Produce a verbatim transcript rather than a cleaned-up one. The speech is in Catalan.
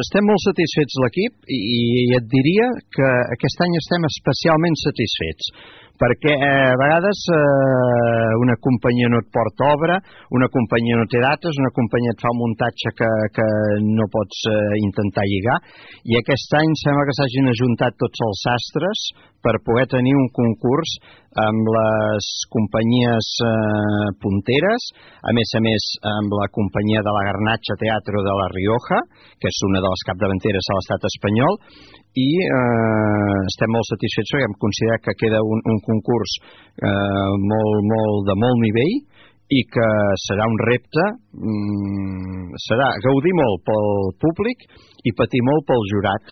Estem molt satisfets l'equip i, i et diria que aquest any estem especialment satisfets perquè eh, a vegades eh, una companyia no et porta obra, una companyia no té dates, una companyia et fa un muntatge que, que no pots eh, intentar lligar, i aquest any sembla que s'hagin ajuntat tots els sastres per poder tenir un concurs amb les companyies eh, punteres, a més a més amb la companyia de la Garnatxa Teatro de la Rioja, que és una de les capdavanteres a l'estat espanyol, i eh, estem molt satisfets perquè hem considerat que queda un, un concurs eh, molt, molt, de molt nivell i que serà un repte, mm, serà gaudir molt pel públic i patir molt pel jurat.